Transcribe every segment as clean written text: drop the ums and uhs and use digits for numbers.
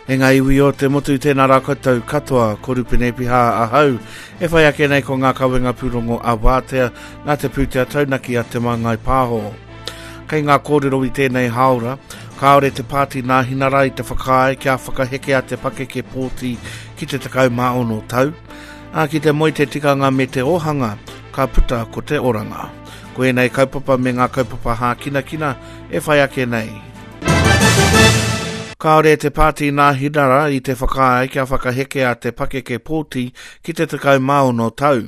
E ngā iwi o te motu, tēnā rā koutou katoa, ko Rupene Piha ahau, e whai ake nei ko ngā kawenga pūrongo a Wātea, nā te pūtea taunaki a Te Māngai Pāho. Kei ngā kōrero i tēnei hāora, kāore te pāti Nāhinara i te whakaae kia whakahekea te pakeke pōti ki te 16 tau, ā, ki te moe te tikanga me te ōhanga, ka puta ko te oranga. Ko ēnei kaupapa me ngā kaupapa hākinakina e whai ake nei. Kāore te Pāti Nāhinara i te whakaae kia whakahekea te pakeke pōti ki te 16 tau.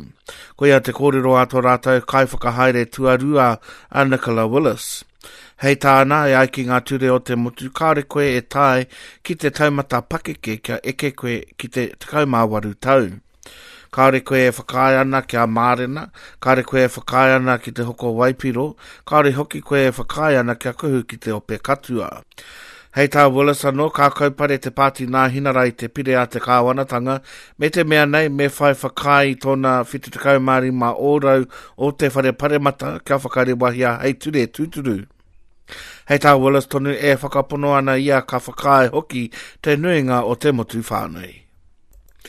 Koia te kōrero a tō rātou kaiwhakahaere tuarua a Nicola Willis. Hei tāna, e ai ki ngā ture o te motu, kāore koe e tae ki te taumata pakeke kia eke koe ki te 18 tau. Kāore koe e whakaae ana kia mārena, kāore koe e whakaae ana ki te hoko waipiro, kāore hoki koe e whakaae ana kia kuhu ki te ope katua. Hei tā Willis anō, ka kaupare te Pāti Nāhinara i te pire a te kāwanatanga, me te mea nei me whai whakaae i tōna 75 ōrau o te Whare Paremata kia whakarewahia hei ture tūturu. Hei tā Willis tonu e whakapono ana ia ka whakaae hoki te nuinga o te motu whānui.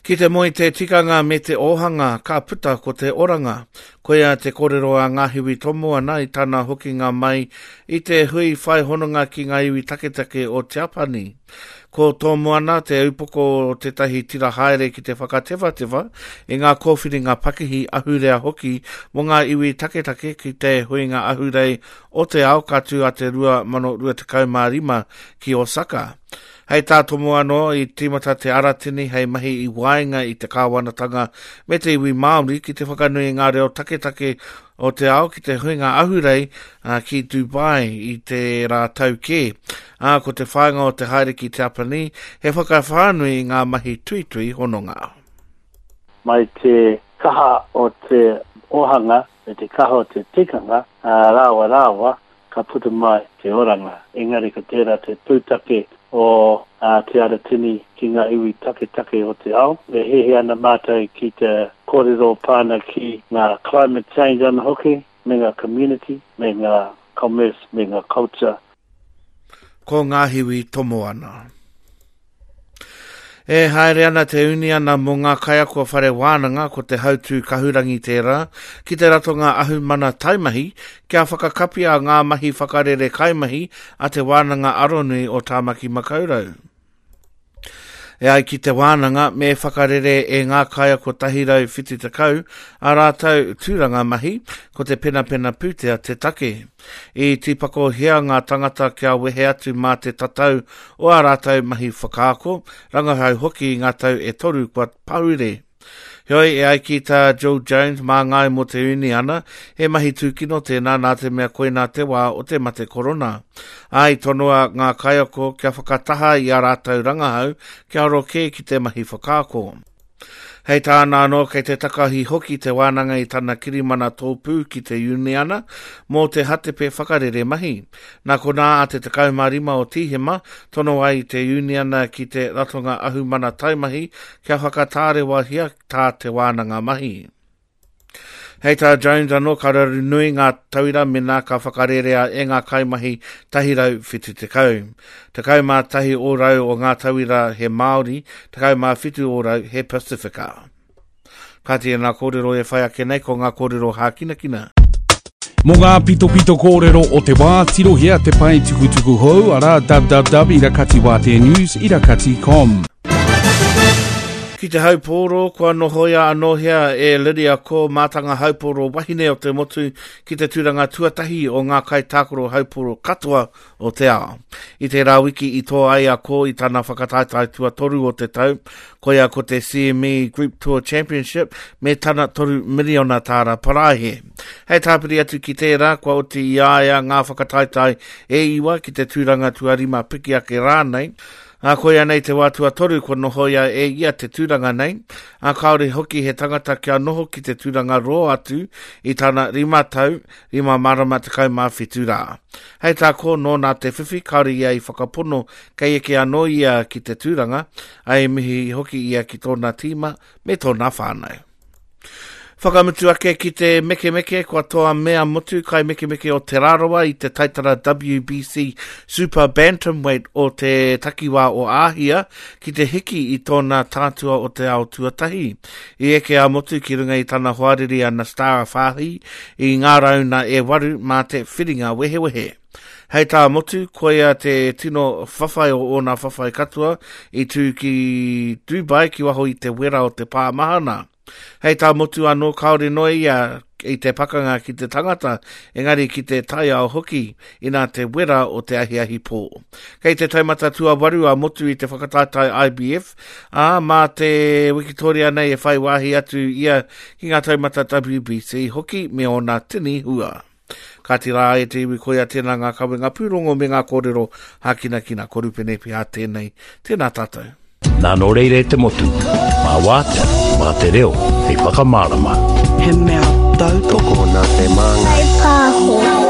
Ki te moe te tikanga me te ōhanga, ka puta ko te oranga. Koia te kōrero a Ngahiwi Tomoana i tana hokinga mai i te hui whai hononga ki ngā iwi taketake o Tiapani. Ko Tomoana te upoko o tētahi tira haere ki te whakatewhatewha i ngā kōwhiringa pakihi ahurea hoki mō ngā iwi taketake ki te Huinga Ahurei o te Ao ka tū a te 2025 ki Osaka. Hei tā Tomoano, i tīmata te Aratini hei mahi i waenga i te kāwanatanga me te iwi Māori ki te whakanui i ngā reo taketake o te ao ki te huinga ahurei ki Dubai i tērā tau kē. Ā, ko te whāinga o te haere ki Tiapanī he whakawhānui i ngā mahi tuitui hononga. Mai te kaha o te ohanga me te kaha o te tikanga, rāua rāua, ka puta mai te oranga. Engari ko tērā te pūtake o Te Aratini ki ngā iwi taketake o te ao. E hiahia ana mātou ki te kōrero pā ana ki ngā climate change ana hoki, me ngā community, me ngā commerce, me ngā culture. Ko Ngāhiwi Tomoana. E haere ana te uniana mō ngā kaiako whare wānanga ko te hautū kahurangi tērā ki te ratonga ahumana taimahi kia whakakapia ngā mahi whakarere kaimahi a Te Wānanga Aronui o Tāmaki Makaurau. E ai ki te wānanga, me whakarere e ngā kaiako 170 ā rātou tūranga mahi, ko te penapena pūtea te take. I tīpakohia ngā tangata kia wehe atu mā te tatau o ā rātou mahi whakaako, rangahau hoki i ngā tau e toru kua pahure. Heoi, e ai ki tā Jill Jones, māngai mō te uniana, he mahi tūkino tēnā nā te mea koinā te wā o te mate korona. Ā, i tonoa ngā kaiako kia whakataha i ā rātou rangahau kia aro kē ki te mahi whakaako. Hei tāna anō, kei te takahi hoki te wānanga i tana kirimana tōpū ki te uniana mō te hatepe whakarere mahi. Nā konā a te 15 o Tīhema, tono ai te uniana ki te Ratonga Ahumana Taimahi kia whakatārewahia tā te wānanga mahi. Hei tā Jones anō, ka raru nui ngā tauira mēnā ka whakarērea e ngā kaimahi 170. 11 ōrau o ngā tauira he Māori, 17 ōrau he Pasifika. Kāti e ngā kōrero e whai ake nei ko ngā kōrero hākinakina. Mō ngā pitopito kōrero o te wā, tirohia te pae tukutuku hou, arā www irakatiwāteanews irakati.com. Ki te haupōro, kua nohoia anōhia e Lydia Ko, mātanga haupōro wahine o te motu, ki te tūranga tuatahi o ngā kaitākaro haupōro katoa o te ao. I tērā wiki i toa ai a Ko i tana whakataetae tuatoru o te tau, koia ko te CME Group Tour Championship me tana 3 miriona tāra parāhe. Hei tāpiri atu ki tērā, kua oti i a ia ngā whakataetae e iwa ki te tūranga tuarima piki ake rānei, Ā, koia nei te wā tuatoru kua nohoia e ia te tūranga nei, ā, kāore hoki he tangata kia noho ki te tūranga roa atu i tana rima tau, rima marama 17 rā. Hei tā Ko, nōna te whiwhi, kāore ia i whakapono kei eke anō ia ki te tūranga, ā, i mihi hoki ia ki tōna tīma me tōna whānau. Whakamutu ake ki te mekemeke, kua toa mea motu kai mekemeke o Te Rarawa i te taitara WBC Super Bantamweight o te takiwā o Āhia ki te hiki i tōna tātua o te ao tuatahi. I eke a Motu ki runga i tana hoariri a Nastara Fahi i ngā rauna e waru mā te whiringa wehewehe. Hei tā Motu, koia te tino whawhai o ōna whawhai katoa i tū ki Dubai ki waho i te wera o te pā mahana. Hei tā Motu anō, kāore noa ia i te pakanga ki te tangata, engari ki te taiao hoki, inā te wera o te ahiahi pō. Kei te taumata tuawaru a Motu i te whakataetae IBF, ā, mā te wikitoria nei e whai wāhi atu ia ki ngā taumata WBC hoki me ōna tini hua. Kāti rā e te iwi koia tēnā ngā kawenga pūrongo me ngā kōrero hākinakina ko Rupene Pihā tēnei. Tēnā tātou. Nā nō reira e te motu, mā Wātea, mā te reo, hei whakamārama. He mea tautoko. Tokona te māngai. Pāho.